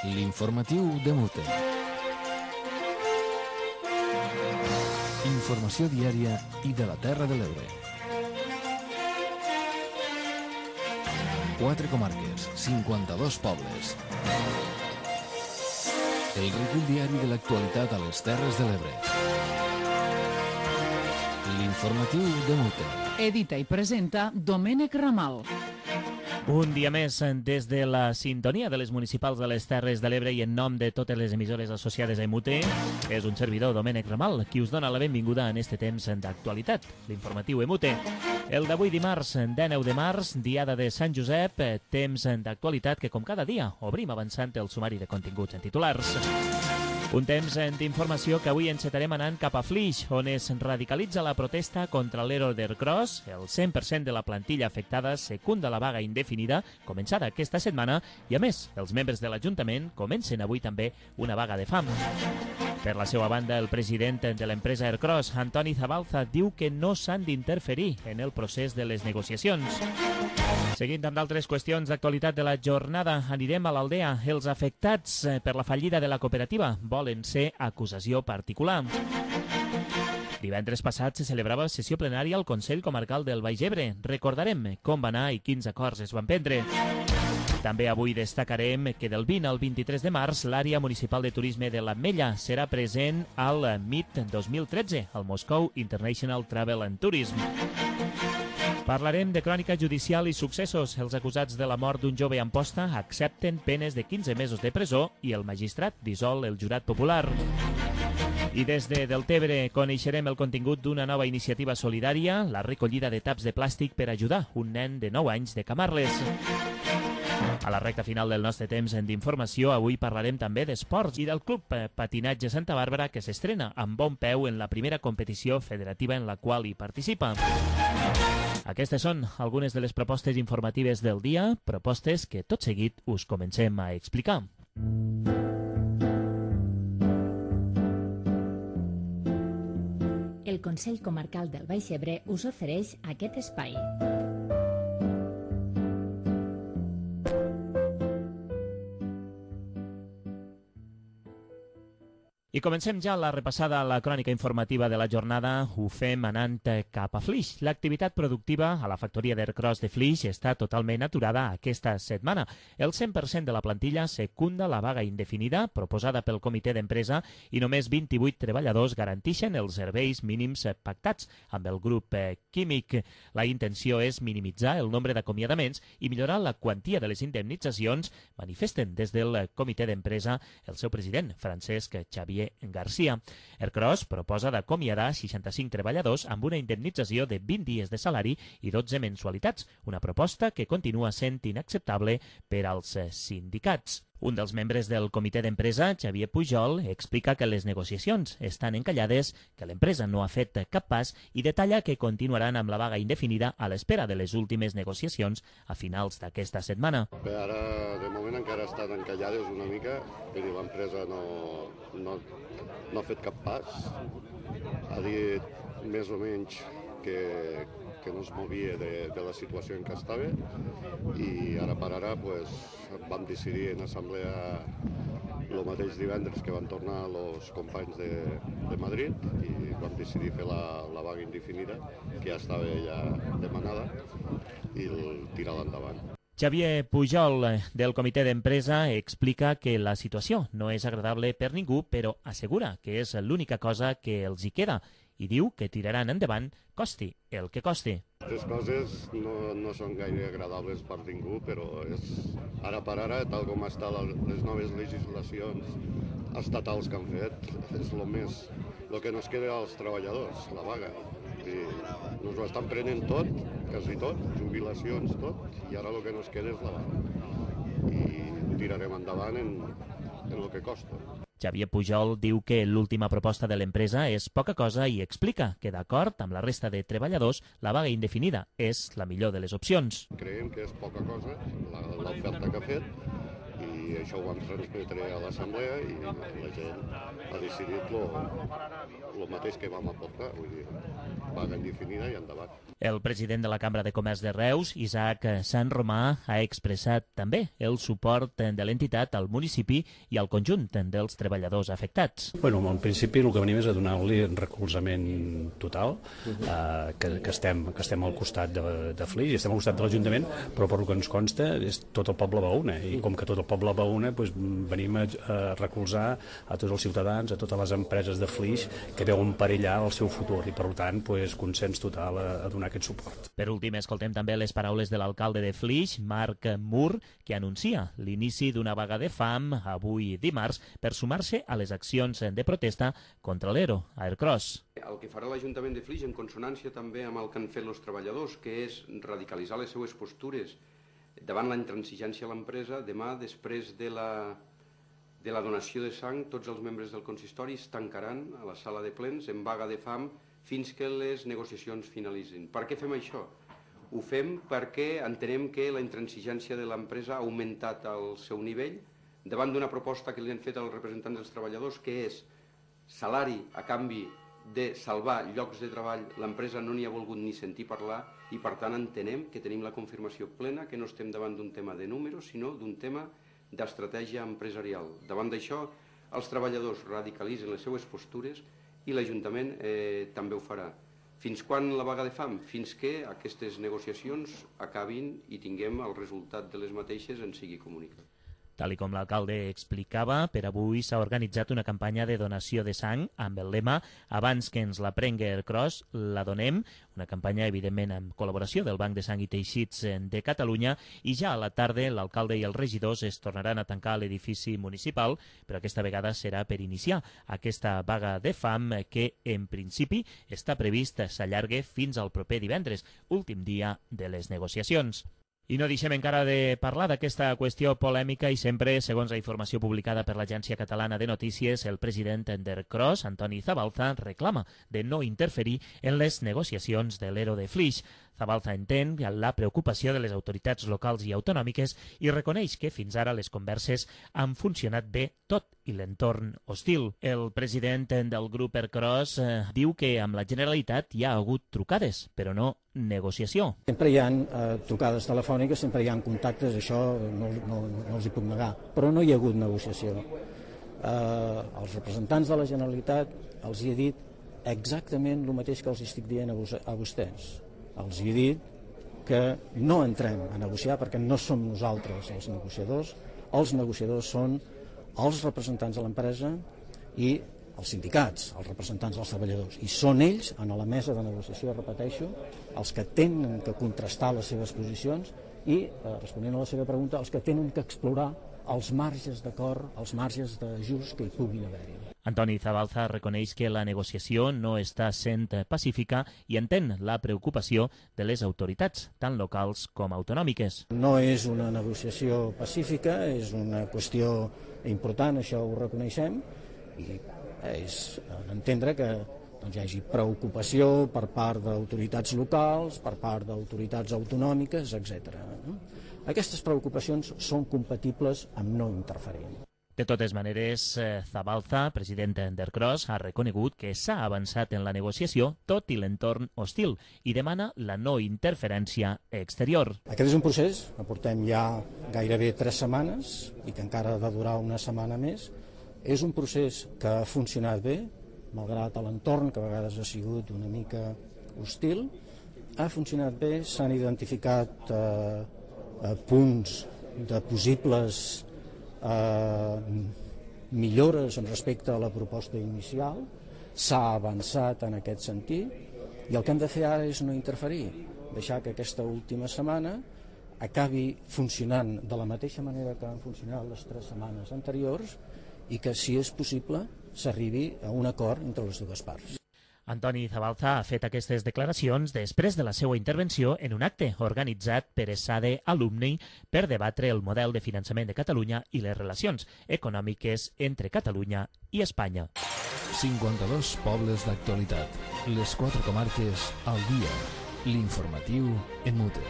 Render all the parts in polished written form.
L'informatiu de Mute. Informació diària i de la Terra de l'Ebre. 4 comarques, 52 pobles. El recull diari de l'actualitat a les Terres de l'Ebre. L'informatiu de Mute. Edita i presenta Domènec Ramal. Un dia més des de la sintonia de les municipals de les Terres de l'Ebre i en nom de totes les emissores associades a Mute, és un servidor, Domènec Ramal, qui us dona la benvinguda en este temps d'actualitat, l'informatiu Mute. El d'avui dimarts, 19 de març, diada de Sant Josep, temps d'actualitat que, com cada dia, obrim avançant el sumari de continguts en titulars. Un temps d'informació que avui encetarem anant cap a Flix, on es radicalitza la protesta contra l'Ero d'Ercros. El 100% de la plantilla afectada secunda la vaga indefinida, començada aquesta setmana, i a més, els membres de l'Ajuntament comencen avui també una vaga de fam. Per la seva banda, el president de l'empresa Ercros, Antoni Zabalza, diu que no s'han d'interferir en el procés de les negociacions. Seguint amb d'altres qüestions d'actualitat de la jornada, anirem a l'Aldea. Els afectats per la fallida de la cooperativa volen ser acusació particular. Divendres passat se celebrava sessió plenària al Consell Comarcal del Baix Ebre. Recordarem com va anar i quins acords es van prendre. També avui destacarem que del 20 al 23 de març l'àrea municipal de turisme de l'Ametlla serà present al MIT 2013, al Moscou International Travel and Tourism. Parlarem de crònica judicial i successos. Els acusats de la mort d'un jove a Amposta accepten penes de 15 mesos de presó i el magistrat dissol el jurat popular. I des de Deltebre coneixerem el contingut d'una nova iniciativa solidària, la recollida de taps de plàstic per ajudar un nen de 9 anys de Camarles. A la recta final del nostre temps d'informació, avui parlarem també d'esports i del Club Patinatge Santa Bàrbara, que s'estrena amb bon peu en la primera competició federativa en la qual hi participa. Aquestes són algunes de les propostes informatives del dia, propostes que tot seguit us comencem a explicar. El Consell Comarcal del Baix Ebre us ofereix aquest espai. I comencem ja la repassada a la crònica informativa de la jornada. Ho fem anant cap a Flix. L'activitat productiva a la factoria d'Ercros de Flix està totalment aturada aquesta setmana. El 100% de la plantilla secunda la vaga indefinida proposada pel comitè d'empresa i només 28 treballadors garanteixen els serveis mínims pactats amb el grup químic. La intenció és minimitzar el nombre d'acomiadaments i millorar la quantia de les indemnitzacions, manifesten des del comitè d'empresa el seu president, Francesc Xavier Garcia. Ercros proposa d'acomiadar 65 treballadors amb una indemnització de 20 dies de salari i 12 mensualitats, una proposta que continua sent inacceptable per als sindicats. Un dels membres del comitè d'empresa, Xavier Pujol, explica que les negociacions estan encallades, que l'empresa no ha fet cap pas i detalla que continuaran amb la vaga indefinida a l'espera de les últimes negociacions a finals d'aquesta setmana. Bé, ara, de moment, encara estan encallades una mica, però l'empresa no ha fet cap pas. Ha dit més o menys que no es movia de la situació en què estava i ara per ara vam decidir en assemblea el mateix divendres que van tornar els companys de Madrid i vam decidir fer la vaga indefinida, que ja estava demanada, i tirar-la endavant. Xavier Pujol, del comitè d'empresa, explica que la situació no és agradable per ningú, però assegura que és l'única cosa que els hi queda i diu que tiraran endavant costi el que costi. Les coses no són gaire agradables per ningú, però ara per ara, tal com estan les noves legislacions estatals que han fet, és el que nos queda als treballadors, la vaga. I ens ho estan prenent tot, quasi tot, jubilacions, tot, i ara el que nos queda és la vaga. I tirarem endavant en el que costa. Xavier Pujol diu que l'última proposta de l'empresa és poca cosa i explica que, d'acord amb la resta de treballadors, la vaga indefinida és la millor de les opcions. Creiem que és poca cosa l'oferta que ha fet i això ho vam transmetre a l'assemblea i la gent ha decidit el mateix que vam aportar. Vull dir, vaga indefinida i endavant. El president de la Cambra de Comerç de Reus, Isaac Sant Romà, ha expressat també el suport de l'entitat al municipi i al conjunt dels treballadors afectats. Bueno, en principi el que venim és a donar-li recolzament total, que estem al costat de Flix i estem al costat de l'Ajuntament, però per el que ens consta és tot el poble va una, i com que tot el poble va una, doncs venim a recolzar a tots els ciutadans, a totes les empreses de Flix que veuen perillar el seu futur i per tant consens total a donar aquest suport. Per últim, escoltem també les paraules de l'alcalde de Flix, Marc Mur, que anuncia l'inici d'una vaga de fam avui dimarts per sumar-se a les accions de protesta contra l'ERO a Aircross. El que farà l'Ajuntament de Flix, en consonància també amb el que han fet els treballadors, que és radicalitzar les seues postures davant la intransigència a l'empresa, demà, després de la donació de sang, tots els membres del consistori es tancaran a la sala de plens en vaga de fam fins que les negociacions finalitzin. Per què fem això? Ho fem perquè entenem que la intransigència de l'empresa ha augmentat el seu nivell davant d'una proposta que li han fet als representants dels treballadors, que és salari a canvi de salvar llocs de treball. L'empresa no n'hi ha volgut ni sentir parlar i per tant entenem que tenim la confirmació plena que no estem davant d'un tema de números, sinó d'un tema d'estratègia empresarial. Davant d'això, els treballadors radicalitzen les seues postures i l'Ajuntament també ho farà. Fins quan la vaga de fam? Fins que aquestes negociacions acabin i tinguem el resultat de les mateixes en sigui comunicat. Tal com l'alcalde explicava, per avui s'ha organitzat una campanya de donació de sang amb el lema "Abans que ens la prengui Aircross, la donem", una campanya, evidentment, amb col·laboració del Banc de Sang i Teixits de Catalunya, i ja a la tarda l'alcalde i els regidors es tornaran a tancar a l'edifici municipal, però aquesta vegada serà per iniciar aquesta vaga de fam que, en principi, està previst s'allargue fins al proper divendres, últim dia de les negociacions. I no deixem encara de parlar d'aquesta qüestió polèmica i sempre, segons la informació publicada per l'Agència Catalana de Notícies, el president d'Aircross, Antoni Zabalza, reclama de no interferir en les negociacions de l'ERO de Flix. Zabalza entén la preocupació de les autoritats locals i autonòmiques i reconeix que fins ara les converses han funcionat bé, tot i l'entorn hostil. El president del grup Aircross diu que amb la Generalitat hi ha hagut trucades, però no negociació. Sempre hi ha trucades telefòniques, sempre hi ha contactes, això no els hi puc negar, però no hi ha hagut negociació. Els representants de la Generalitat els hi he dit exactament el mateix que els estic dient a vostès. Els he dit que no entrem a negociar perquè no som nosaltres els negociadors són els representants de l'empresa i els sindicats, els representants dels treballadors, i són ells, en la mesa de negociació, repeteixo, els que tenen que contrastar les seves posicions i, responent a la seva pregunta, els que tenen que explorar els marges d'acord, els marges d'ajust que hi puguin haver-hi. Antoni Zabalza reconeix que la negociació no està sent pacífica i entén la preocupació de les autoritats, tant locals com autonòmiques. No és una negociació pacífica, és una qüestió important, això ho reconeixem, i és entendre que hi hagi preocupació per part d'autoritats locals, per part d'autoritats autonòmiques, etc. Aquestes preocupacions són compatibles amb no interferir. De totes maneres, Zabalza, president d'Aircross, ha reconegut que s'ha avançat en la negociació tot i l'entorn hostil i demana la no interferència exterior. Aquest és un procés que portem ja gairebé 3 setmanes i que encara ha de durar una setmana més. És un procés que ha funcionat bé, malgrat l'entorn, que a vegades ha sigut una mica hostil. Ha funcionat bé, s'han identificat punts de possibles millores respecte a la proposta inicial, s'ha avançat en aquest sentit i el que hem de fer ara és no interferir, deixar que aquesta última setmana acabi funcionant de la mateixa manera que han funcionat les 3 setmanes anteriors i que, si és possible, s'arribi a un acord entre les dues parts. Antoni Zabalza ha fet aquestes declaracions després de la seva intervenció en un acte organitzat per ESADE Alumni per debatre el model de finançament de Catalunya i les relacions econòmiques entre Catalunya i Espanya. 52 pobles d'actualitat, les 4 comarques al dia, l'informatiu en Mute.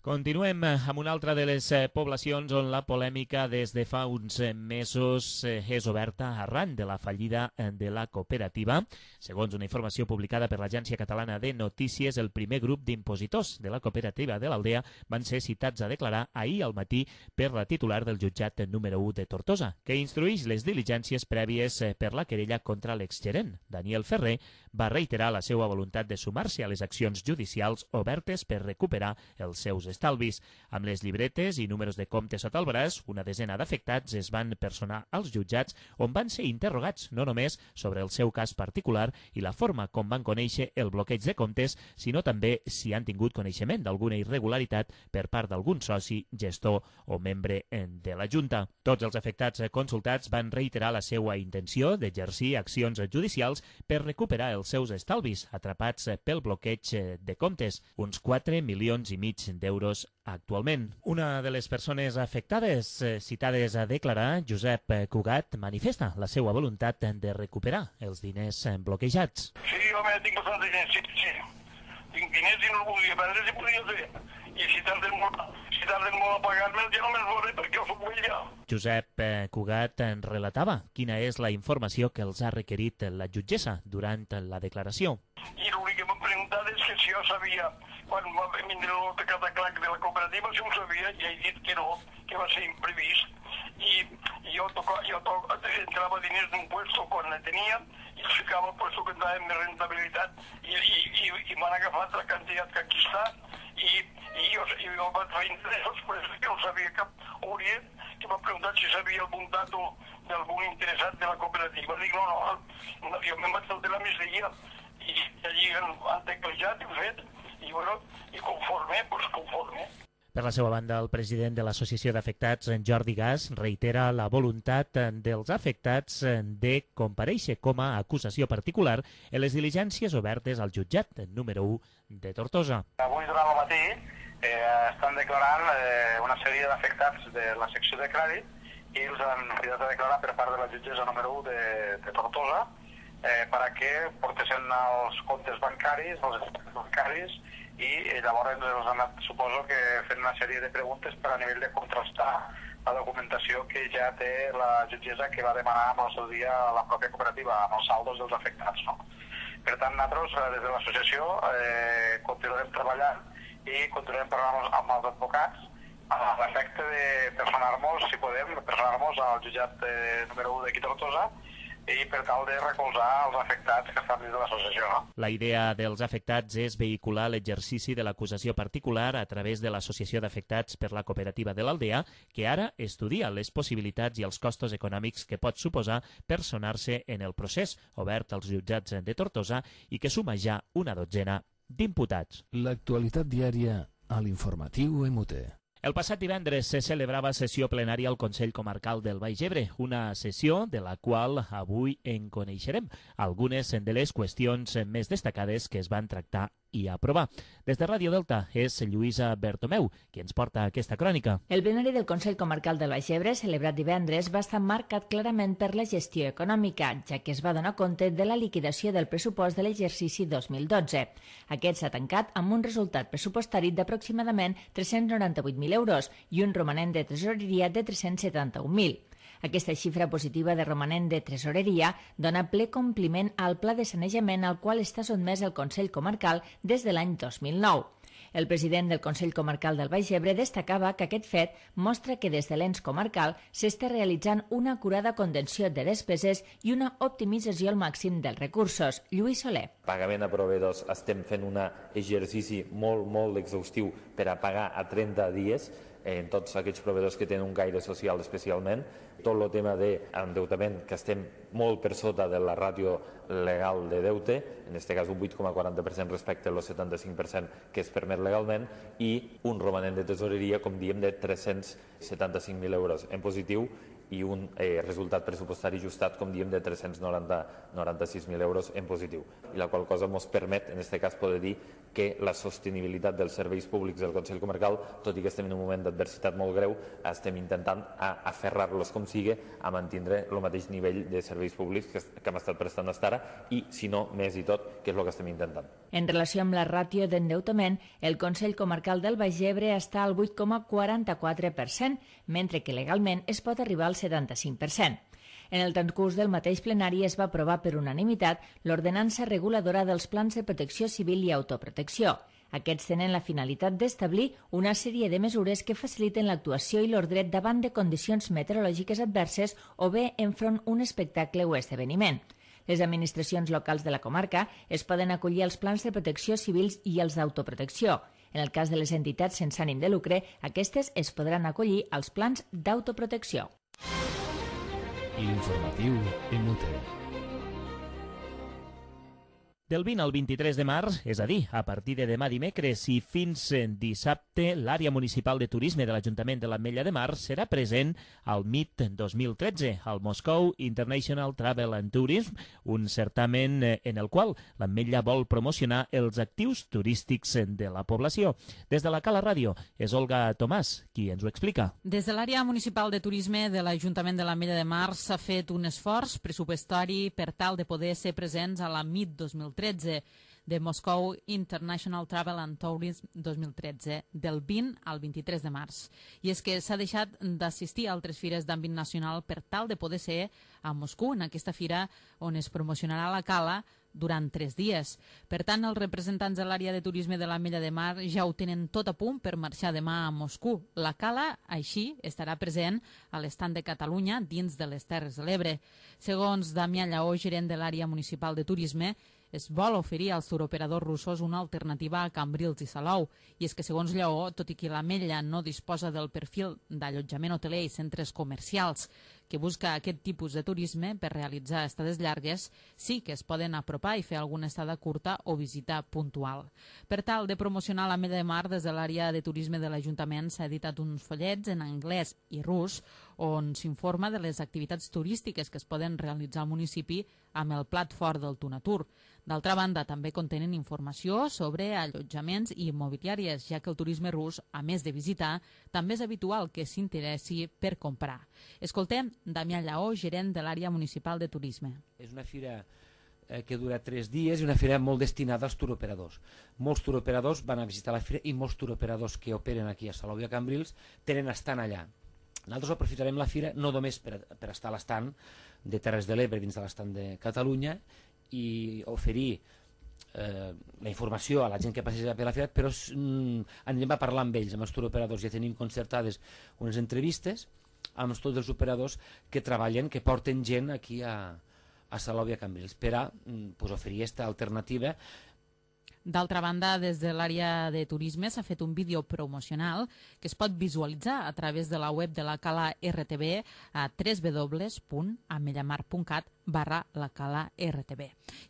Continuem amb una altra de les poblacions on la polèmica des de fa uns mesos és oberta arran de la fallida de la cooperativa. Segons una informació publicada per l'Agència Catalana de Notícies, el primer grup d'impositors de la cooperativa de l'Aldea van ser citats a declarar ahir al matí per la titular del jutjat número 1 de Tortosa, que instruïx les diligències prèvies per la querella contra l'exgerent. Daniel Ferrer va reiterar la seva voluntat de sumar-se a les accions judicials obertes per recuperar els seus estalvis. Amb les llibretes i números de compte sota el braç, una desena d'afectats es van personar als jutjats on van ser interrogats no només sobre el seu cas particular i la forma com van conèixer el bloqueig de comptes, sinó també si han tingut coneixement d'alguna irregularitat per part d'algun soci, gestor o membre de la Junta. Tots els afectats consultats van reiterar la seva intenció d'exercir accions judicials per recuperar els seus estalvis atrapats pel bloqueig de comptes, uns 4,5 milions d'euros actualment. Una de les persones afectades citades a declarar, Josep Cugat, manifesta la seva voluntat de recuperar els diners bloquejats. Sí, home, tinc bastants diners, sí. Tinc diners i no els volia perdre si podia fer. I si tarden molt a pagar-me'ls ja no me'ls veuré perquè jo soc vell ja. Josep Cugat relatava quina és la informació que els ha requerit la jutgessa durant la declaració. I l'únic que m'han preguntat és que si jo sabia, quan va vindre el cataclac de la cooperativa, si ho sabia, i he dit que no, que va ser imprevist. I jo entrava diners d'un puesto quan ne tenia i els ficava al puesto que entrava amb més rentabilitat i m'han agafat la quantitat que aquí està i jo vaig fer interessos, però és que no sabia cap hauria que m'ha preguntat si sabia algun dato d'algun interessat de la cooperativa. Dic, no, jo me'n vaig saltar la migdia i allí han teclejat i ho fet i conforme. Per la seva banda, el president de l'Associació d'Afectats, Jordi Gas, reitera la voluntat dels afectats de comparèixer com a acusació particular en les diligències obertes al jutjat número 1 de Tortosa. Avui durant el matí estan declarant una sèrie d'afectats de la secció de crèdit i els han cridat a declarar per part de la jutgessa número 1 de Tortosa perquè portessin els comptes bancaris, els efectes bancaris, i llavors els han anat, suposo que fent una sèrie de preguntes per a nivell de contrastar la documentació que ja té la jutgessa que va demanar amb el seu dia a la pròpia cooperativa, amb els saldos dels afectats. No? Per tant, nosaltres, des de l'associació, continuarem treballant i continuarem parlant amb els advocats a l'efecte de personar-nos, si podem, al jutjat número 1 d'aquí Tortosa, i per tal de recolzar els afectats que estan dins de l'associació. No? La idea dels afectats és vehicular l'exercici de l'acusació particular a través de l'Associació d'Afectats per la Cooperativa de l'Aldea, que ara estudia les possibilitats i els costos econòmics que pot suposar personar-se en el procés obert als jutjats de Tortosa i que suma ja una dotzena d'imputats. L'actualitat diària a l'informatiu MUT. El passat divendres se celebrava sessió plenària al Consell Comarcal del Baix Ebre, una sessió de la qual avui en coneixerem algunes de les qüestions més destacades que es van tractar i aprovar. Des de Ràdio Delta és Lluïsa Bertomeu qui ens porta aquesta crònica. El plenari del Consell Comarcal del Baix Ebre, celebrat divendres, va estar marcat clarament per la gestió econòmica, ja que es va donar compte de la liquidació del pressupost de l'exercici 2012. Aquest s'ha tancat amb un resultat pressupostari d'aproximadament 398.000 euros i un romanent de tresoreria de 371.000. Aquesta xifra positiva de romanent de tresoreria dona ple compliment al pla de sanejament al qual està sotmès el Consell Comarcal des de l'any 2009. El president del Consell Comarcal del Baix Ebre destacava que aquest fet mostra que des de l'ens comarcal s'està realitzant una acurada contenció de despeses i una optimització al màxim dels recursos. Lluís Soler. Pagament a proveïdors, estem fent un exercici molt exhaustiu per a pagar a 30 dies en tots aquests proveïdors que tenen un caire social especialment. Tot el tema d'endeutament, que estem molt per sota de la ràtio legal de deute, en aquest cas un 8,40% respecte al 75% que es permet legalment, i un romanent de tesoreria, com diem, de 375.000 euros en positiu i un resultat pressupostari ajustat, com diem, de 396.000 euros en positiu. I la qual cosa ens permet, en aquest cas, poder dir que la sostenibilitat dels serveis públics del Consell Comarcal, tot i que estem en un moment d'adversitat molt greu, estem intentant aferrar-los com sigui a mantindre el mateix nivell de serveis públics que hem estat prestant fins ara i, si no, més i tot, que és el que estem intentant. En relació amb la ràtio d'endeutament, el Consell Comarcal del Baix Ebre està al 8,44%, mentre que legalment es pot arribar al 75%. En el transcurs del mateix plenari es va aprovar per unanimitat l'ordenança reguladora dels plans de protecció civil i autoprotecció. Aquests tenen la finalitat d'establir una sèrie de mesures que faciliten l'actuació i l'ordre davant de condicions meteorològiques adverses o bé enfront un espectacle o esdeveniment. Les administracions locals de la comarca es poden acollir als plans de protecció civils i els d'autoprotecció. En el cas de les entitats sense ànim de lucre, aquestes es podran acollir als plans d'autoprotecció. L'informatiu en Mute. Del 20 al 23 de març, és a dir, a partir de demà dimecres i fins dissabte, l'àrea municipal de turisme de l'Ajuntament de l'Ametlla de Mar serà present al MIT 2013, al Moscow International Travel and Tourism, un certamen en el qual l'Ametlla vol promocionar els actius turístics de la població. Des de la Cala Ràdio és Olga Tomàs, qui ens ho explica. Des de l'àrea municipal de turisme de l'Ajuntament de l'Ametlla de Mar s'ha fet un esforç pressupostari per tal de poder ser presents a la MIT 2013 de Moscow International Travel and Tourism 2013, del 20 al 23 de març. I és que s'ha deixat d'assistir a altres fires d'àmbit nacional per tal de poder ser a Moscou, en aquesta fira on es promocionarà la Cala durant 3 dies. Per tant, els representants de l'àrea de turisme de l'Ametlla de Mar ja ho tenen tot a punt per marxar demà a Moscou. La Cala, així, estarà present a l'estand de Catalunya dins de les Terres de l'Ebre. Segons Damià Lleó, gerent de l'àrea municipal de turisme, es vol oferir als turoperadors russos una alternativa a Cambrils i Salou. I és que, segons Lleó, tot i que l'Ametlla no disposa del perfil d'allotjament hoteler i centres comercials que busca aquest tipus de turisme per realitzar estades llargues, sí que es poden apropar i fer alguna estada curta o visita puntual. Per tal de promocionar l'Ametlla de Mar, des de l'àrea de turisme de l'Ajuntament s'ha editat uns follets en anglès i rus on s'informa de les activitats turístiques que es poden realitzar al municipi amb el plat fort del Tunatur. D'altra banda, també contenen informació sobre allotjaments i immobiliàries, ja que el turisme rus, a més de visitar, també és habitual que s'interessi per comprar. Escoltem Damià Lleó, gerent de l'àrea municipal de turisme. És una fira que dura 3 dies i una fira molt destinada als turoperadors. Molts turoperadors van a visitar la fira i molts turoperadors que operen aquí a Salou i a Cambrils tenen estant allà. Nosaltres aprofitarem la fira no només per estar a l'estant de Terres de l'Ebre dins de l'estant de Catalunya i oferir la informació a la gent que passeja per la fira, però anem a parlar amb ells, amb els turoperadors. Ja tenim concertades unes entrevistes amb tots els operadors que treballen, que porten gent aquí a Salou i a Cambrils per a oferir aquesta alternativa. D'altra banda, des de l'àrea de turisme s'ha fet un vídeo promocional que es pot visualitzar a través de la web de la Cala RTV a www.amellaMar.cat/lacala-rtb.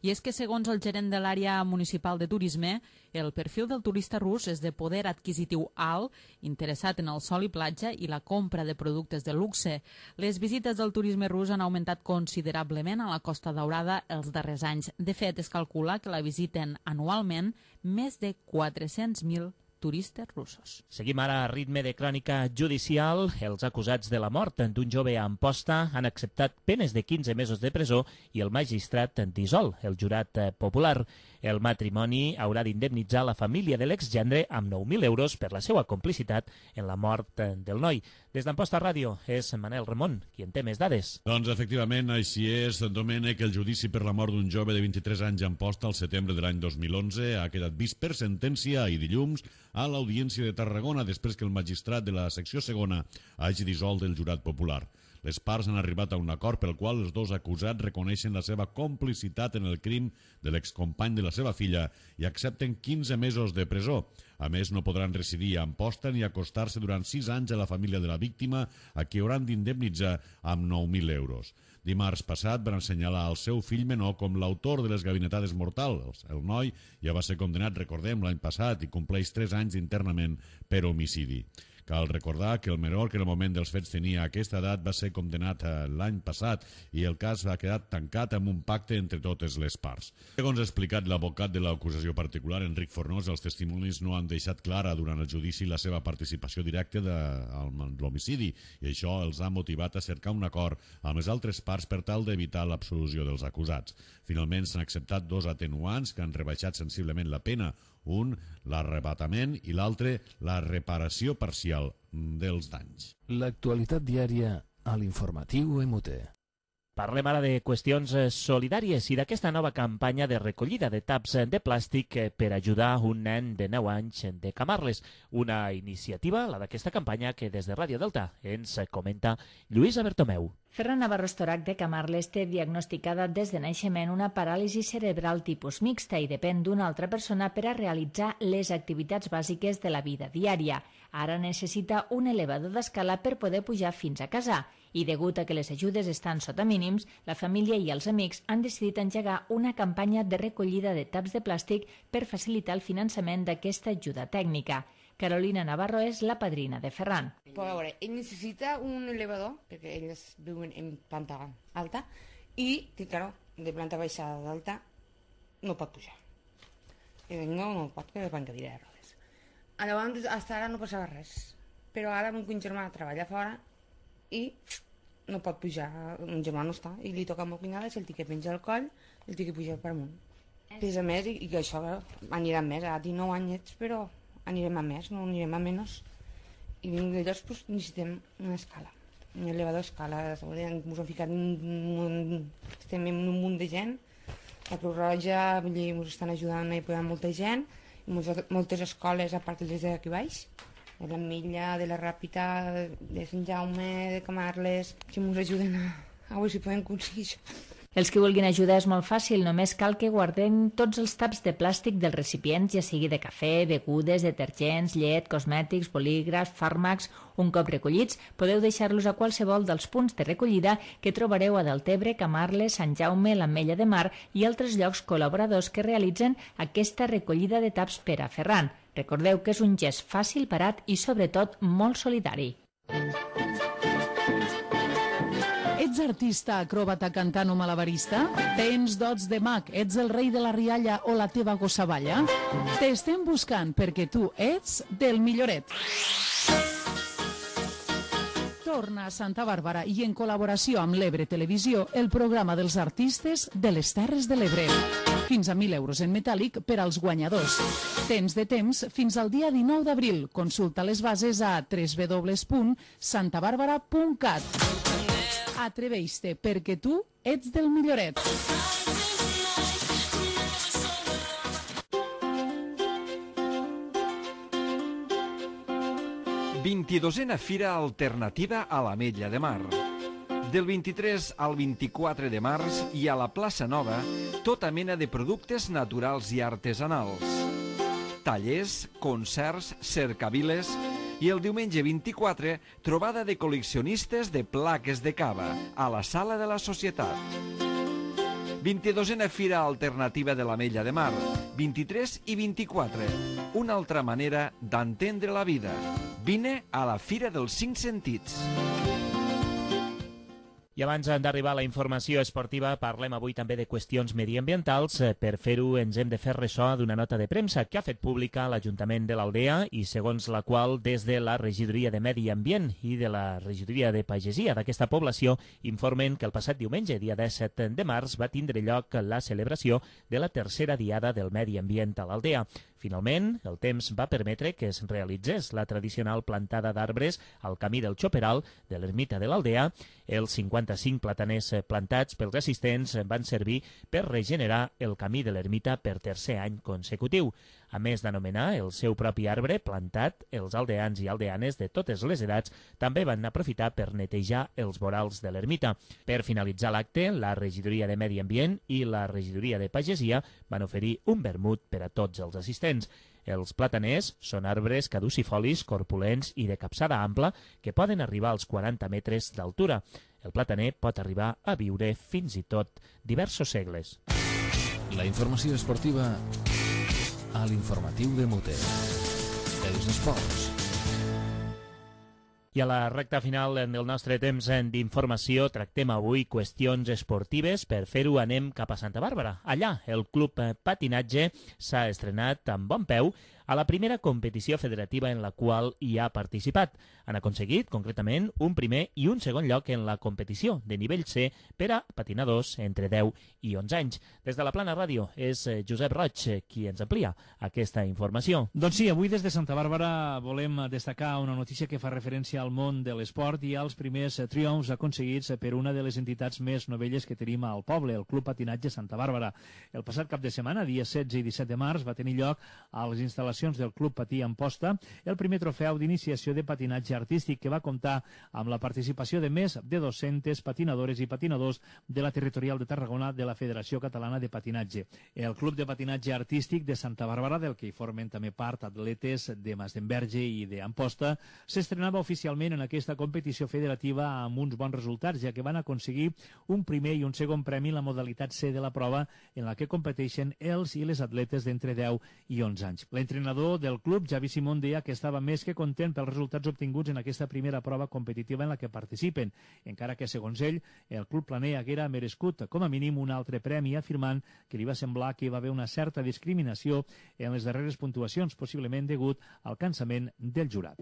I és que, segons el gerent de l'àrea municipal de turisme, el perfil del turista rus és de poder adquisitiu alt, interessat en el sol i platja i la compra de productes de luxe. Les visites del turisme rus han augmentat considerablement a la Costa Daurada els darrers anys. De fet, es calcula que la visiten anualment més de 400.000 turistes russos. Seguim ara a ritme de crònica judicial. Els acusats de la mort d'un jove a Amposta han acceptat penes de 15 mesos de presó i el magistrat dissol el jurat popular. El matrimoni haurà d'indemnitzar la família de l'exgendre amb 9.000 euros per la seva complicitat en la mort del noi. Des d'Amposta Ràdio és Manel Ramon, qui en té més dades. Doncs efectivament, així és, Domènec. El judici per la mort d'un jove de 23 anys a Amposta al setembre de l'any 2011 ha quedat vist per sentència i dilluns a l'Audiència de Tarragona després que el magistrat de la secció segona hagi dissolt el jurat popular. Les parts han arribat a un acord pel qual els dos acusats reconeixen la seva complicitat en el crim de l'excompany de la seva filla i accepten 15 mesos de presó. A més, no podran residir a Amposta ni acostar-se durant 6 anys a la família de la víctima, a qui hauran d'indemnitzar amb 9.000 euros. Dimarts passat van assenyalar el seu fill menor com l'autor de les gavinetades mortals. El noi ja va ser condemnat, recordem, l'any passat i compleix 3 anys d'internament per homicidi. Cal recordar que el menor, que en el moment dels fets tenia aquesta edat, va ser condemnat l'any passat i el cas ha quedat tancat amb un pacte entre totes les parts. Segons ha explicat l'advocat de l'acusació particular, Enric Fornós, els testimonis no han deixat clara durant el judici la seva participació directa de l'homicidi i això els ha motivat a cercar un acord amb les altres parts per tal d'evitar l'absolució dels acusats. Finalment s'han acceptat 2 atenuants que han rebaixat sensiblement la pena, un, l'arrebatament, i l'altre, la reparació parcial dels danys. L'actualitat diària a l'informatiu MUT. Parlem ara de qüestions solidàries i d'aquesta nova campanya de recollida de taps de plàstic per ajudar un nen de 9 anys de Camarles. Una iniciativa, la d'aquesta campanya, que des de Ràdio Delta ens comenta Lluïsa Bertomeu. Ferran Navarro Estorac de Camarles té diagnosticada des de naixement una paràlisi cerebral tipus mixta i depèn d'una altra persona per a realitzar les activitats bàsiques de la vida diària. Ara necessita un elevador d'escala per poder pujar fins a casa i, degut a que les ajudes estan sota mínims, la família i els amics han decidit engegar una campanya de recollida de taps de plàstic per facilitar el finançament d'aquesta ajuda tècnica. Carolina Navarro és la padrina de Ferran. Però a veure, ell necessita un elevador, perquè ells viuen en planta alta, i, claro, de planta baixa d'alta no pot pujar. No pot, que van cadira de rodes. Llavors, fins ara no passava res, però ara mon germà treballa fora i no pot pujar, mon germà no està, i li toca a mon cunyada, si el té que penjar al coll, el té que pujar per amunt. Pesa més i que això anirà més, a 19 anyets, però anirem a més, no anirem a menys. I llavors necessitem una escala, un elevador escala. Ens hem ficat estem en un munt de gent, la Creu Roja ens estan ajudant a posar molta gent, moltes escoles, a part de les d'aquí baix, de la Milla, de la Ràpita, de Sant Jaume, de Camarles, que ens ajuden a veure si podem aconseguir això. Els que vulguin ajudar és molt fàcil, només cal que guardem tots els taps de plàstic dels recipients, ja sigui de cafè, begudes, detergents, llet, cosmètics, bolígrafs, fàrmacs. Un cop recollits, podeu deixar-los a qualsevol dels punts de recollida que trobareu a Deltebre, Camarles, Sant Jaume, l'Ametlla de Mar i altres llocs col·laboradors que realitzen aquesta recollida de taps per a Ferran. Recordeu que és un gest fàcil, barat i, sobretot, molt solidari. Ets artista, acròbata, cantant o malabarista? Tens dots de mag, ets el rei de la rialla o la teva gossavalla? T'estem buscant perquè tu ets del milloret. Torna a Santa Bàrbara i en col·laboració amb l'Ebre Televisió el programa dels artistes de les Terres de l'Ebre. Fins a 1.000 euros en metàl·lic per als guanyadors. Tens de temps fins al dia 19 d'abril. Consulta les bases a www.santabarbara.cat. Atreveix-te perquè tu ets del milloret. «22a Fira Alternativa a l'Ametlla de Mar». Del 23 al 24 de març i a la Plaça Nova tota mena de productes naturals i artesanals. Tallers, concerts, cercaviles i el diumenge 24 trobada de col·leccionistes de plaques de cava a la Sala de la Societat. 22a Fira Alternativa de l'Ametlla de Mar, 23 i 24. Una altra manera d'entendre la vida. Vine a la Fira dels 5 Sentits. I abans d'arribar a la informació esportiva, parlem avui també de qüestions mediambientals. Per fer-ho ens hem de fer ressò d'una nota de premsa que ha fet pública l'Ajuntament de l'Aldea i segons la qual des de la Regidoria de Medi Ambient i de la Regidoria de Pagesia d'aquesta població informen que el passat diumenge, dia 17 de març, va tindre lloc la celebració de la tercera Diada del Medi Ambient a l'Aldea. Finalment, el temps va permetre que es realitzés la tradicional plantada d'arbres al camí del Xoperal de l'ermita de l'Aldea. Els 55 plataners plantats pels assistents van servir per regenerar el camí de l'ermita per tercer any consecutiu. A més d'anomenar el seu propi arbre plantat, els aldeans i aldeanes de totes les edats també van aprofitar per netejar els vorals de l'ermita. Per finalitzar l'acte, la Regidoria de Medi Ambient i la Regidoria de Pagesia van oferir un vermut per a tots els assistents. Els plataners són arbres caducifolis, corpulents i de capçada ampla que poden arribar als 40 metres d'altura. El plataner pot arribar a viure fins i tot diversos segles. La informació esportiva a l'informatiu de MUT. Els esports. I a la recta final del nostre temps d'informació tractem avui qüestions esportives. Per fer-ho anem cap a Santa Bàrbara. Allà el Club Patinatge s'ha estrenat amb bon peu a la primera competició federativa en la qual hi ha participat. Han aconseguit, concretament, un primer i un segon lloc en la competició de nivell C per a patinadors entre 10 i 11 anys. Des de la Plana Ràdio és Josep Roig qui ens amplia aquesta informació. Doncs sí, avui des de Santa Bàrbara volem destacar una notícia que fa referència al món de l'esport i als primers triomfs aconseguits per una de les entitats més novelles que tenim al poble, el Club Patinatge Santa Bàrbara. El passat cap de setmana, dia 16 i 17 de març, va tenir lloc a les instal·lacions del Club Patí Amposta el primer trofeu d'iniciació de patinatge artístic que va comptar amb la participació de més de 200 patinadores i patinadors de la territorial de Tarragona de la Federació Catalana de Patinatge. El Club de Patinatge Artístic de Santa Bàrbara, del que hi formen també part atletes de Masdenverge i d'Amposta, s'estrenava oficialment en aquesta competició federativa amb uns bons resultats, ja que van aconseguir un primer i un segon premi en la modalitat C de la prova en la que competeixen els i les atletes d'entre 10 i 11 anys. L'entrenador del club, Javi Simón, deia que estava més que content pels resultats obtinguts en aquesta primera prova competitiva en la que participen, encara que, segons ell, el club planea haguera merescut com a mínim un altre premi, afirmant que li va semblar que hi va haver una certa discriminació en les darreres puntuacions, possiblement degut al cansament del jurat.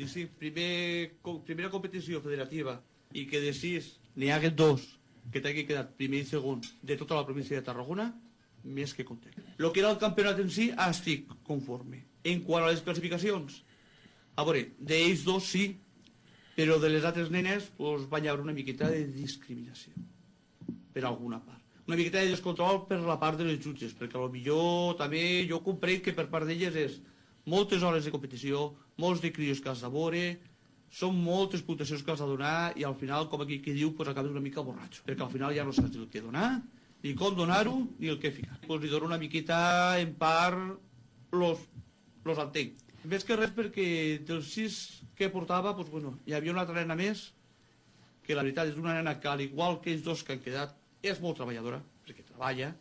Sí, primera competició federativa i que de 6 n'hi hagués 2 que t'hagi quedat primer i segon de tota la província de Tarragona, més que content. El que era el campionat en si, estic conforme. En quant a les classificacions, a veure, d'ells dos sí, però de les altres nenes va haver una miqueta de discriminació, per alguna part. Una miqueta de descontrol per la part de les jutges, perquè potser també jo comprenc que per part d'elles és moltes hores de competició, molts de crios que has de veure, són moltes puntuacions que has de donar i al final, com aquí que diu, acabes una mica borratxo, perquè al final ja no saps el que donar, ni com donar-ho, ni el que ficar. Li dono una miqueta, en part, los entenc. Més que res perquè dels 6 que portava, hi havia una altra nena més, que la veritat és una nena que, al igual que ells dos que han quedat, és molt treballadora, perquè treballa,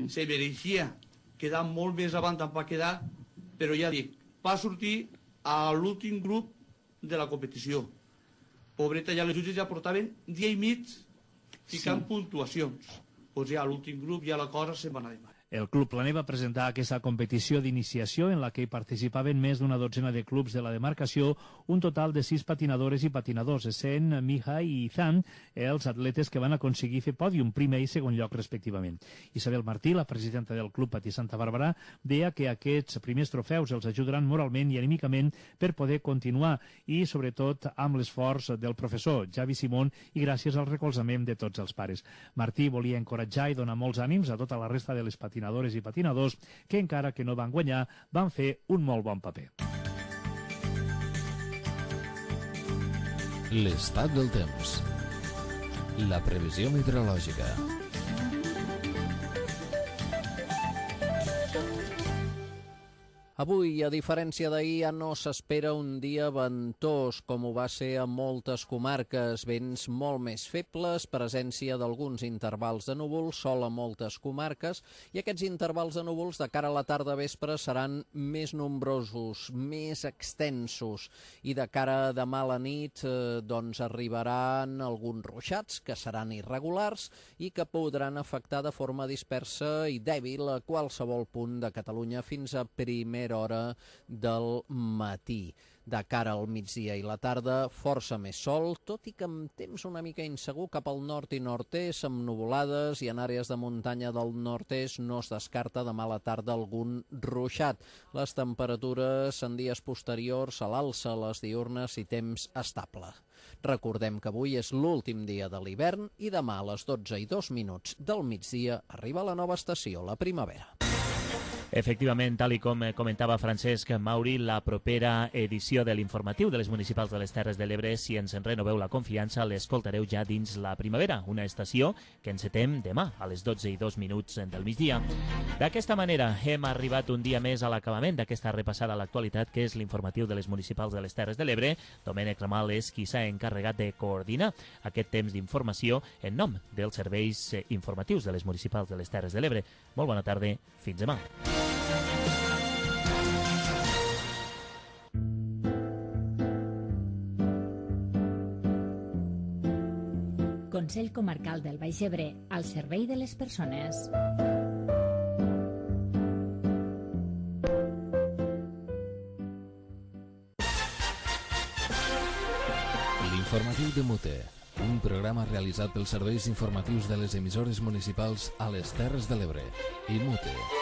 se mereixia quedar molt més avant d'on va quedar, però ja dic, va sortir a l'últim grup de la competició. Pobreta, ja les jutges ja portaven dia i mig ficant puntuacions. Doncs ja a l'últim grup ja la cosa se'n va anar de mà. El Club Planer va presentar aquesta competició d'iniciació en la que hi participaven més d'una dotzena de clubs de la demarcació, un total de 6 patinadores i patinadors, essent Mija i Izan els atletes que van aconseguir fer pòdium, primer i segon lloc respectivament. Isabel Martí, la presidenta del Club Patí Santa Bàrbara, deia que aquests primers trofeus els ajudaran moralment i anímicament per poder continuar i, sobretot, amb l'esforç del professor Javi Simón i gràcies al recolzament de tots els pares. Martí volia encoratjar i donar molts ànims a tota la resta de les patinadores i patinadors que, encara que no van guanyar, van fer un molt bon paper. L'estat del temps. La previsió meteorològica. Avui, a diferència d'ahir, ja no s'espera un dia ventós, com ho va ser a moltes comarques. Vents molt més febles, presència d'alguns intervals de núvols, sol a moltes comarques, i aquests intervals de núvols de cara a la tarda vespre seran més nombrosos, més extensos, i de cara a demà a la nit doncs arribaran alguns ruixats que seran irregulars i que podran afectar de forma dispersa i dèbil a qualsevol punt de Catalunya fins a primera hora del matí. De cara al migdia i la tarda, força més sol, tot i que amb temps una mica insegur cap al nord i nord-est, amb nuvolades, i en àrees de muntanya del nord-est no es descarta demà a la tarda algun ruixat. Les temperatures en dies posteriors a l'alça, les diürnes i temps estable. Recordem que avui és l'últim dia de l'hivern i demà a les 12:02 del migdia arriba la nova estació, la primavera. Efectivament, tal com comentava Francesc Mauri, la propera edició de l'informatiu de les municipals de les Terres de l'Ebre, si ens en renoveu la confiança, l'escoltareu ja dins la primavera, una estació que encetem demà a les 12:02 del migdia. D'aquesta manera hem arribat un dia més a l'acabament d'aquesta repassada a l'actualitat, que és l'informatiu de les municipals de les Terres de l'Ebre. Domènec Ramal és qui s'ha encarregat de coordinar aquest temps d'informació en nom dels serveis informatius de les municipals de les Terres de l'Ebre. Molt bona tarda, fins demà. Consell Comarcal del Baix Ebre, al servei de les persones. L'informatiu de Mute, un programa realitzat pels serveis informatius de les emissores municipals a les Terres de l'Ebre i Mute.